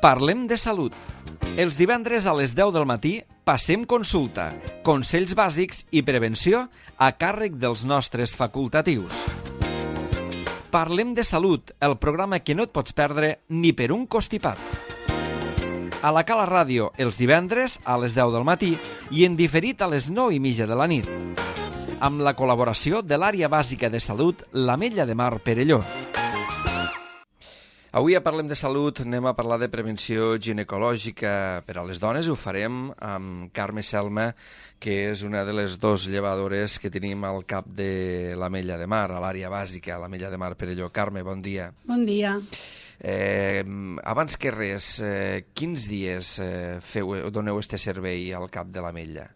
Parlem de salut. Els divendres a les 10 del matí passem consulta, consells bàsics i prevenció a càrrec dels nostres facultatius. Parlem de salut, el programa que no et pots perdre ni per un costipat. A la Cala Ràdio, els divendres a les 10 del matí i en diferit a les 9:30 de la nit. Amb la col·laboració de l'Àrea Bàsica de Salut, l'Ametlla de Mar Perelló. Avui a Parlem de Salut anem a parlar de prevenció ginecològica per a les dones i ho farem amb Carme Selma, que és una de les dues llevadores que tenim al cap de l'Ametlla de Mar, a l'àrea bàsica, a l'Ametlla de Mar Perelló. Carme, bon dia. Bon dia. Abans que res, quins dies doneu este servei al cap de l'Ametlla?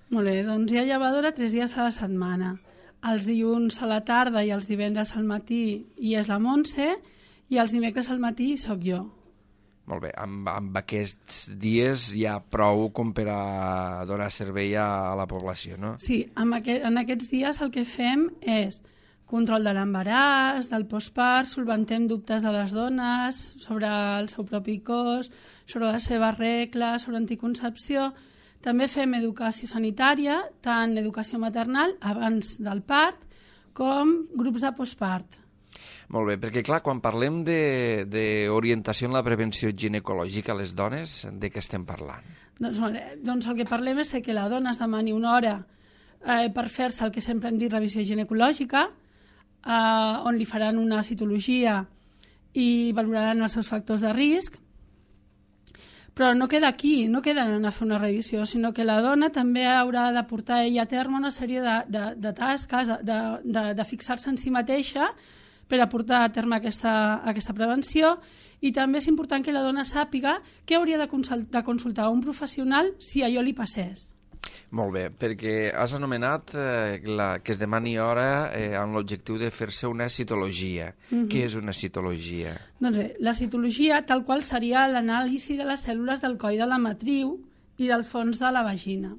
Molt bé, doncs hi ha llevadora 3 dies a la setmana. Els dilluns a la tarda i els divendres al matí hi és la Montse i els dimecres al matí sóc jo. Molt bé, amb aquests dies hi ha prou com per a donar servei a la població, no? Sí, en aquests dies el que fem és control de l'embaràs, del postpart, solventem dubtes de les dones sobre el seu propi cos, sobre les seves regles, sobre anticoncepció. També fem educació sanitària, tant educació maternal abans del part com grups de postpart. Molt bé, perquè clar, quan parlem d'orientació en la prevenció ginecològica a les dones, de què estem parlant? Doncs el que parlem és que la dona es demani una hora per fer-se el que sempre hem dit revisió ginecològica, on li faran una citologia i valoraran els seus factors de risc, però no queda aquí, no queda en anar a fer una revisió, sinó que la dona també haurà de portar ella a terme una sèrie de tasques, de fixar-se en si mateixa per a portar a terme aquesta prevenció, i també és important que la dona sàpiga que hauria de consultar un professional si allò li passés. Molt bé, perquè has anomenat que es demani hora amb l'objectiu de fer-se una citologia. Què és una citologia? Doncs bé, la citologia tal qual seria l'anàlisi de les cèl·lules del coll de la matriu i del fons de la vagina.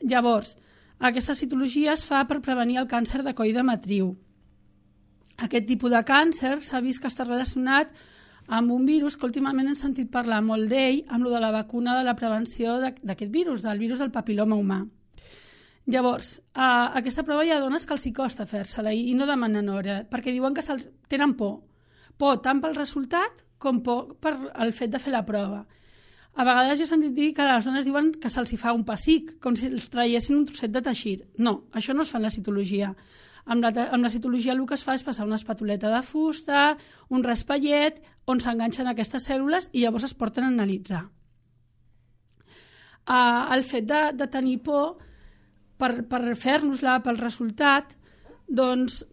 Llavors, aquesta citologia es fa per prevenir el càncer de coll de matriu. Aquest tipus de càncer s'ha vist que està relacionat amb un virus que últimament hem sentit parlar molt d'ell, amb lo de la vacuna de la prevenció d'aquest virus, del virus del papiloma humà. Llavors, aquesta prova hi ha dones que els hi costa fer-se-la i no demanen hora, perquè diuen que tenen por. Por tant pel resultat com por per el fet de fer la prova. A vegades jo he sentit dir que les dones diuen que se'ls hi fa un pessic, com si els traiessin un trosset de teixit. No, això no es fa en la citologia. Amb la citologia el que es fa és passar una espatuleta de fusta, un raspallet, on s'enganxen aquestes cèl·lules i llavors es porten a analitzar. El fet de tenir por per fer-nos-la, pel resultat, doncs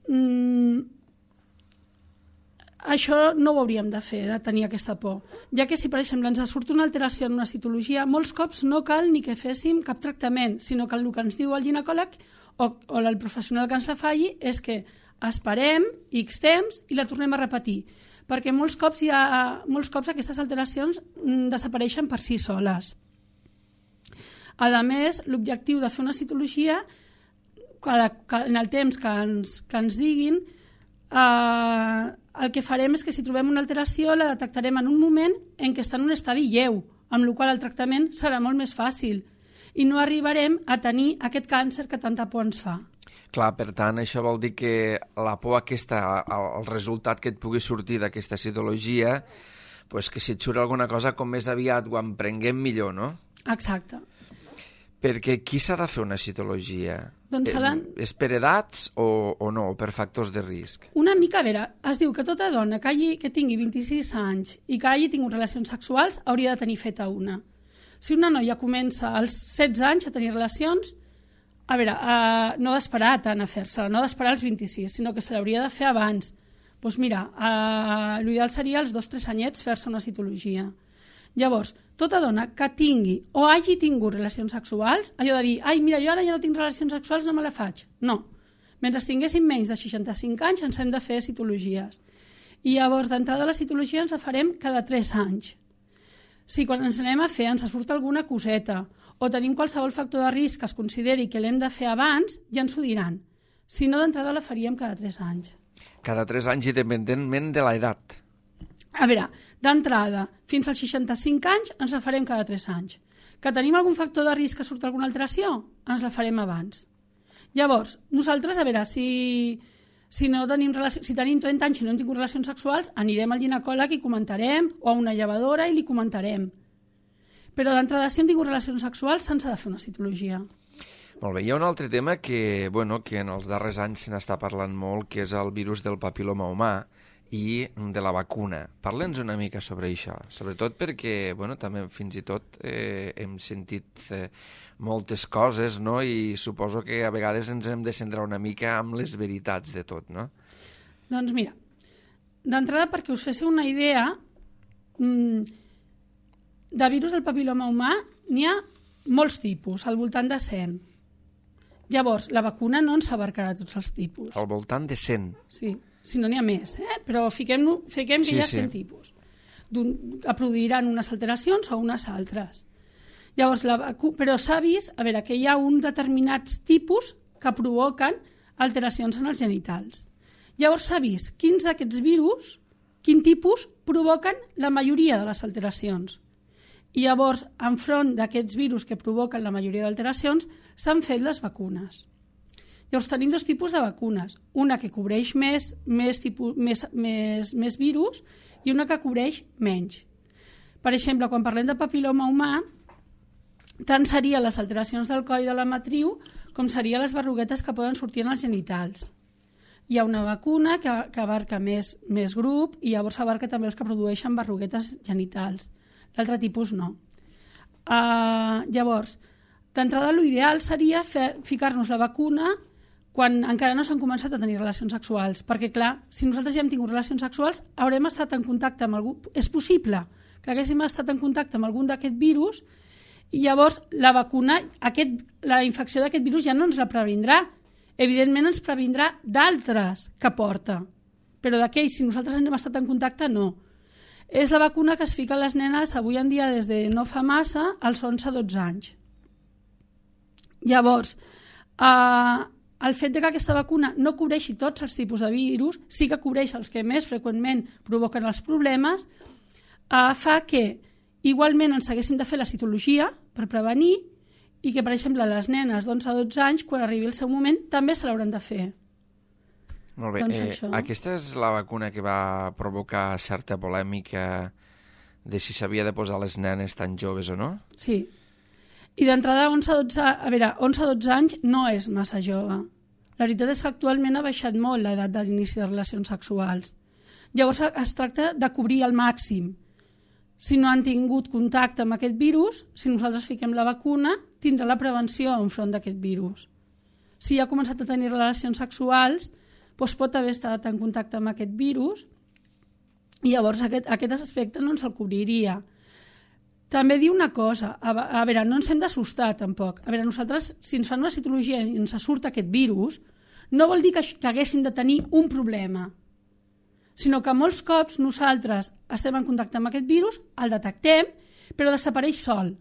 això no ho hauríem de fer, de tenir aquesta por. Ja que si, per exemple, ens surt una alteració en una citologia, molts cops no cal ni que féssim cap tractament, sinó que el que ens diu el ginecòleg o el professional que ens la falli és que esperem X temps i la tornem a repetir, perquè molts cops aquestes alteracions desapareixen per si soles. A més, l'objectiu de fer una citologia, en el temps que ens diguin, el que farem és que si trobem una alteració la detectarem en un moment en què està en un estadi lleu, amb la qual el tractament serà molt més fàcil i no arribarem a tenir aquest càncer que tanta por ens fa. Clar, per tant, això vol dir que la por aquesta, el resultat que et pugui sortir d'aquesta citologia, pues que si et surt alguna cosa com més aviat ho emprenguem millor, no? Exacte. Perquè qui s'ha de fer una citologia? Doncs és per edats o no, o per factors de risc? Una mica, a veure, es diu que tota dona que tingui 26 anys i que hagi tingut relacions sexuals hauria de tenir feta una. Si una noia comença als 16 anys a tenir relacions, a veure, no d'esperar tant a fer-se-la, no d'esperar als 26, sinó que se l'hauria de fer abans. Doncs mira, l'ideal seria als 2-3 anyets fer-se una citologia. Llavors, tota dona que tingui o hagi tingut relacions sexuals, allò de dir, ai, mira, jo ara ja no tinc relacions sexuals, no me la faig. No. Mentre tinguéssim menys de 65 anys ens hem de fer citologies. I llavors, d'entrada la citologia ens la farem cada 3 anys. Si quan ens anem a fer ens surt alguna coseta o tenim qualsevol factor de risc que es consideri que l'hem de fer abans, ja ens ho diran. Si no, d'entrada la faríem cada 3 anys. Cada 3 anys, independentment de l'edat. A veure, d'entrada, fins als 65 anys ens la farem cada 3 anys. Que tenim algun factor de risc que surt alguna alteració? Ens la farem abans. Llavors, nosaltres, a veure, si tenim 30 anys i no hem tingut relacions sexuals, anirem al ginecòleg i comentarem, o a una llevadora i li comentarem. Però d'entrada, si hem tingut relacions sexuals, se'ns ha de fer una citologia. Molt bé, hi ha un altre tema que en els darrers anys se n'està parlant molt, que és el virus del papil·loma humà i de la vacuna. Parla'ns una mica sobre això, sobretot perquè també fins i tot hem sentit moltes coses, no? I suposo que a vegades ens hem de centrar una mica amb les veritats de tot, no? Doncs mira, d'entrada, perquè us féssiu una idea, de virus del papil·loma humà n'hi ha molts tipus, al voltant de 100. Llavors, la vacuna no ens abarcarà tots els tipus. Al voltant de 100? Sí, si no n'hi ha més, però fiquem que hi ha 100 tipus. Que produiran unes alteracions o unes altres. Llavors, però s'ha vist que hi ha uns determinats tipus que provoquen alteracions en els genitals. Llavors s'ha vist quins d'aquests virus, quin tipus, provoquen la majoria de les alteracions. I llavors, enfront d'aquests virus que provoquen la majoria d'alteracions, s'han fet les vacunes. Llavors, tenim 2 tipus de vacunes. Una que cobreix més virus i una que cobreix menys. Per exemple, quan parlem de papil·loma humà, tant serien les alteracions del coll de la matriu com serien les berruguetes que poden sortir en els genitals. Hi ha una vacuna que abarca més grup i llavors abarca també els que produeixen berruguetes genitals. L'altre tipus no. Llavors, d'entrada l'ideal seria ficar-nos la vacuna quan encara no s'han començat a tenir relacions sexuals, perquè clar, si nosaltres ja hem tingut relacions sexuals haurem estat en contacte amb algú, és possible que haguéssim estat en contacte amb algun d'aquest virus i llavors la vacuna, la infecció d'aquest virus ja no ens la previndrà, evidentment ens previndrà d'altres que porta, però d'aquells, si nosaltres hem estat en contacte, no. És la vacuna que es fica a les nenes avui en dia des de no fa massa als 11-12 anys. Llavors, el fet que aquesta vacuna no cobreixi tots els tipus de virus, sí que cobreix els que més freqüentment provoquen els problemes, fa que igualment ens haguéssim de fer la citologia per prevenir i que, per exemple, les nenes d'11-12 anys, quan arribi el seu moment, també se l'hauran de fer. Molt bé. Doncs aquesta és la vacuna que va provocar certa polèmica de si s'havia de posar les nenes tan joves o no? Sí. I d'entrada, 11-12 anys no és massa jove. La veritat és que actualment ha baixat molt l'edat de l'inici de relacions sexuals. Llavors es tracta de cobrir al màxim. Si no han tingut contacte amb aquest virus, si nosaltres fiquem la vacuna, tindrà la prevenció enfront d'aquest virus. Si ja ha començat a tenir relacions sexuals, doncs pot haver estat en contacte amb aquest virus i llavors aquest aspecte no ens el cobriria. També diu una cosa, a veure, no ens hem d'assustar tampoc. A veure, nosaltres, si ens fan una citologia i ens surt aquest virus, no vol dir que haguéssim de tenir un problema, sinó que molts cops nosaltres estem en contacte amb aquest virus, el detectem, però desapareix sol.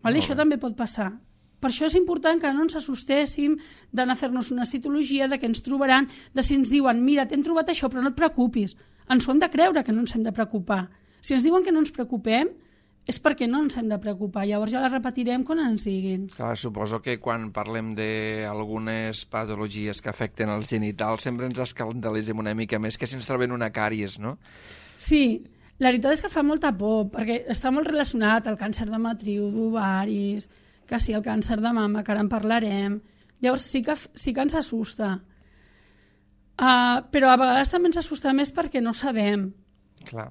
Això també pot passar. Per això és important que no ens assustéssim d'anar a fer-nos una citologia, de què ens trobaran, de si ens diuen, mira, t'hem trobat això, però no et preocupis. Ens ho hem de creure que no ens hem de preocupar. Si ens diuen que no ens preocupem, és perquè no ens hem de preocupar. Llavors ja la repetirem quan ens diguin. Clar, suposo que quan parlem d'algunes patologies que afecten els genitals sempre ens escandalitzem una mica més que si ens trobem una càries, no? Sí, la veritat és que fa molta por, perquè està molt relacionat al càncer de matriu, d'ovaris, que sí, el càncer de mama, que ara en parlarem. Llavors sí que ens assusta. Però a vegades també ens assusta més perquè no sabem. Clar.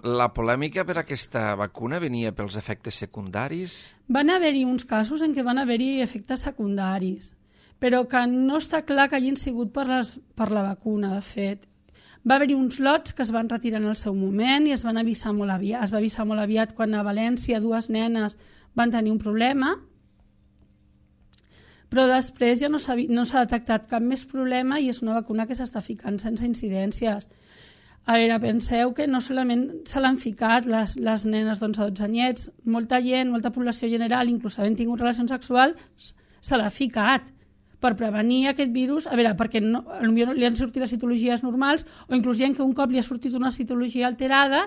La polèmica per aquesta vacuna venia pels efectes secundaris? Van haver-hi uns casos en què van haver-hi efectes secundaris, però que no està clar que hagin sigut per la vacuna, de fet. Va haver-hi uns lots que es van retirar en el seu moment i es van avisar molt aviat. Es va avisar molt aviat quan a València 2 nenes van tenir un problema, però després ja no s'ha detectat cap més problema i és una vacuna que s'està ficant sense incidències. A veure, penseu que no solament se l'han ficat les nenes d'11-12 anyets, molta gent, molta població general, inclús havent tingut relacions sexuals, se l'ha ficat, per prevenir aquest virus, a veure, perquè potser li han sortit les citologies normals o inclús hi ha que un cop li ha sortit una citologia alterada,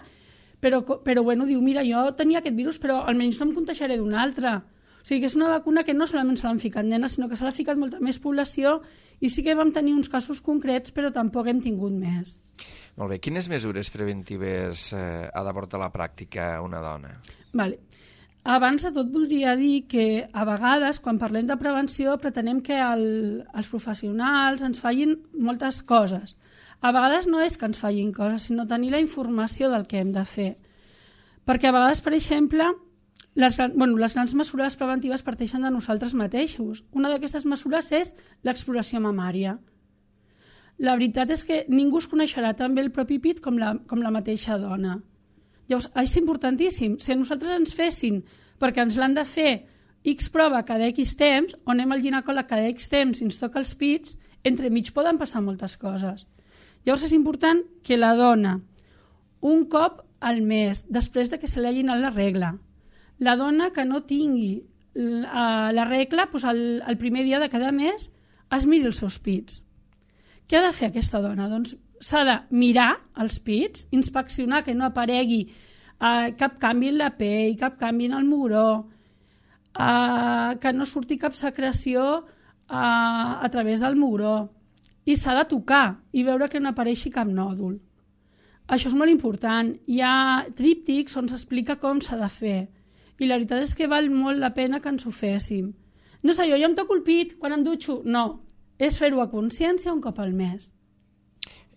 però bueno, diu, mira, jo tenia aquest virus però almenys no em contagiaré d'un altre. O sigui que és una vacuna que no solament se l'han ficat nenes, sinó que se l'ha ficat molta més població i sí que vam tenir uns casos concrets però tampoc hem tingut més. Molt bé, quines mesures preventives ha d'aportar a la pràctica una dona? Vale. Abans de tot voldria dir que a vegades quan parlem de prevenció pretenem que els professionals ens fallin moltes coses. A vegades no és que ens fallin coses, sinó tenir la informació del que hem de fer. Perquè a vegades, per exemple, les grans mesures preventives parteixen de nosaltres mateixos. Una d'aquestes mesures és l'exploració mamària. La veritat és que ningú es coneixerà tan bé el propi pit com la mateixa dona. Llavors, és importantíssim. Si a nosaltres ens fessin, perquè ens l'han de fer, X prova cada X temps, o anem al ginecòleg cada X temps i ens toca els pits, entremig poden passar moltes coses. Llavors és important que la dona, un cop al mes, després de que se li hagi anat la regla, la dona que no tingui la regla, doncs el primer dia de cada mes es miri els seus pits. Què ha de fer aquesta dona? Doncs s'ha de mirar els pits, inspeccionar que no aparegui cap canvi en la pell, cap canvi en el mugró, que no surti cap secreció a través del mugró, i s'ha de tocar i veure que no apareixi cap nòdul. Això és molt important. Hi ha tríptics on s'explica com s'ha de fer i la veritat és que val molt la pena que ens ho féssim. No sé, jo em toco el pit quan em dutxo. No, és fer-ho a consciència un cop al mes.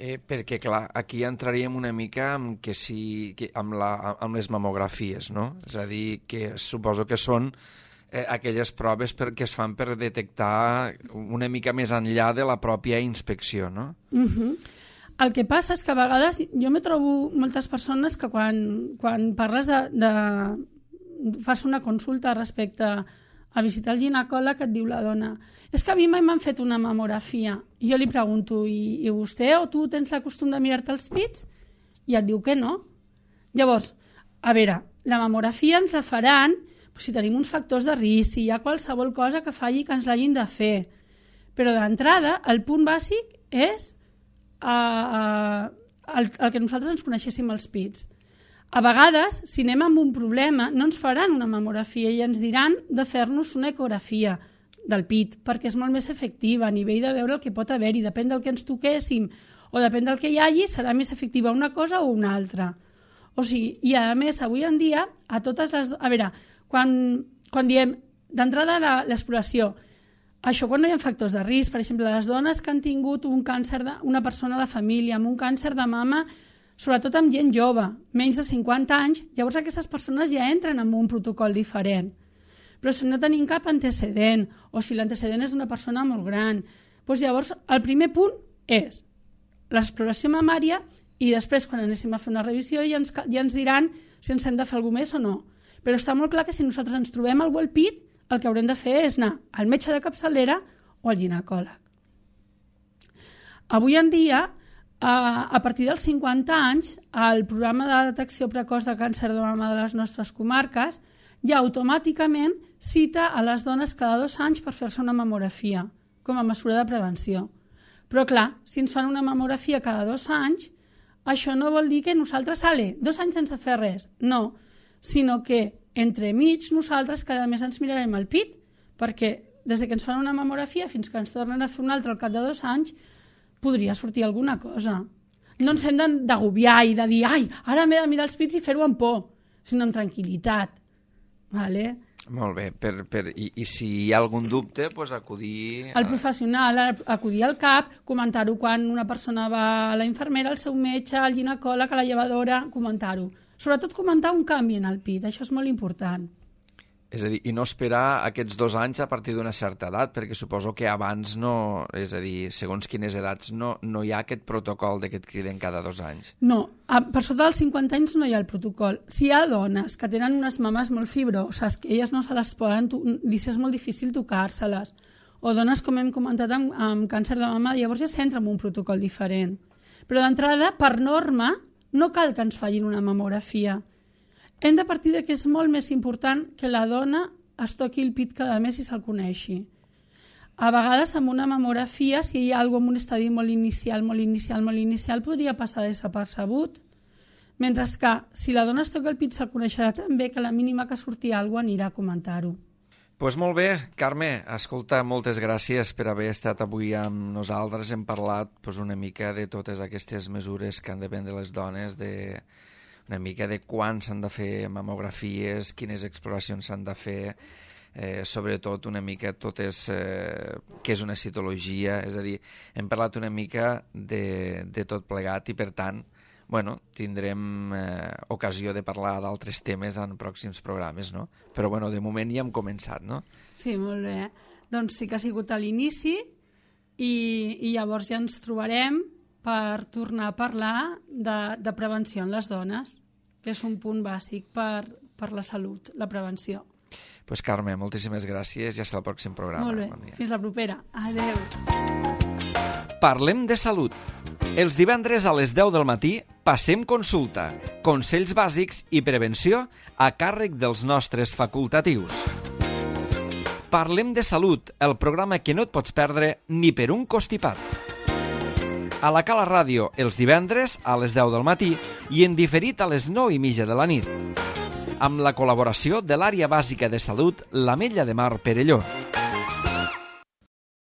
Perquè, clar, aquí entraríem una mica amb les mamografies, no? És a dir, que suposo que són aquelles proves que es fan per detectar una mica més enllà de la pròpia inspecció, no? El que passa és que a vegades jo me trobo moltes persones que quan parles fas una consulta respecte a visitar el ginecòleg et diu la dona és que a mi mai m'han fet una mamografia. I jo li pregunto, i vostè o tu tens la costum de mirar-te els pits? I et diu que no. Llavors, a veure, la mamografia ens la faran si tenim uns factors de risc, si hi ha qualsevol cosa que falli que ens l'hagin de fer. Però d'entrada, el punt bàsic és el que nosaltres ens coneixéssim els pits. A vegades, si anem amb un problema, no ens faran una mamografia i ens diran de fer-nos una ecografia del pit, perquè és molt més efectiva a nivell de veure el que pot haver-hi. Depèn del que ens toquéssim o depèn del que hi hagi, serà més efectiva una cosa o una altra. O sigui, i a més, avui en dia, a totes les... A veure, quan diem d'entrada l'exploració, això quan no hi ha factors de risc, per exemple, les dones que han tingut un càncer, una persona a la família amb un càncer de mama, sobretot amb gent jove, menys de 50 anys, llavors aquestes persones ja entren en un protocol diferent. Però si no tenim cap antecedent, o si l'antecedent és d'una persona molt gran, doncs llavors el primer punt és l'exploració mamària i després quan anéssim a fer una revisió ja ens diran si ens hem de fer alguna més o no. Però està molt clar que si nosaltres ens trobem algú al pit, el que haurem de fer és anar al metge de capçalera o al ginecòleg. Avui en dia, a partir dels 50 anys, el programa de detecció precoç de càncer de mama de les nostres comarques ja automàticament cita a les dones cada 2 anys per fer-se una mamografia, com a mesura de prevenció. Però clar, si ens fan una mamografia cada 2 anys, això no vol dir que nosaltres, 2 anys sense fer res. No, sinó que entremig nosaltres cada mes ens mirarem el pit, perquè des que ens fan una mamografia fins que ens tornen a fer una altra al cap de 2 anys, podria sortir alguna cosa. No ens hem d'agobiar i de dir ara m'he de mirar els pits i fer-ho amb por, sinó amb tranquil·litat. Vale? Molt bé, i si hi ha algun dubte, doncs acudir... Al professional, acudir al CAP, comentar-ho quan una persona va a la infermera, al seu metge, al ginecòleg, a la llevadora, comentar-ho. Sobretot comentar un canvi en el pit, això és molt important. És a dir, i no esperar aquests 2 anys a partir d'una certa edat, perquè suposo que abans no, és a dir, segons quines edats, no hi ha aquest protocol que et criden cada 2 anys. No, per sota dels 50 anys no hi ha el protocol. Si hi ha dones que tenen unes mames molt fibroses, que elles no se les poden, és molt difícil tocar-se-les, o dones, com hem comentat, amb càncer de mama, llavors ja s'entra en un protocol diferent. Però d'entrada, per norma, no cal que ens facin una mamografia. Hem de partir que és molt més important que la dona es toqui el pit cada mes i se'l coneixi. A vegades amb una mamografia, si hi ha alguna cosa en un estadi molt inicial, podria passar desapercebut. Mentre que si la dona es toca el pit se'l coneixerà també, que la mínima que surti alguna cosa anirà a comentar-ho. Doncs molt bé, Carme, escolta, moltes gràcies per haver estat avui amb nosaltres. Hem parlat una mica de totes aquestes mesures que han de prendre les dones, una mica de quan s'han de fer mamografies, quines exploracions s'han de fer, sobretot una mica totes què és una citologia, és a dir, hem parlat una mica de tot plegat i per tant tindrem ocasió de parlar d'altres temes en pròxims programes, no? Però de moment ja hem començat, no? Sí, molt bé. Doncs sí que ha sigut a l'inici i llavors ja ens trobarem per tornar a parlar de prevenció en les dones, que és un punt bàsic per la salut, la prevenció. Doncs Carme, moltíssimes gràcies i fins al pròxim programa. Molt bé, bon dia. fins la propera. Adéu. Parlem de salut. Els divendres a les 10 del matí passem consulta, consells bàsics i prevenció a càrrec dels nostres facultatius. Parlem de salut, el programa que no et pots perdre ni per un costipat. A la Cala Ràdio, els divendres a les 10 del matí i en diferit a les 9:30 de la nit. Amb la col·laboració de l'Àrea Bàsica de Salut, l'Ametlla de Mar Perelló.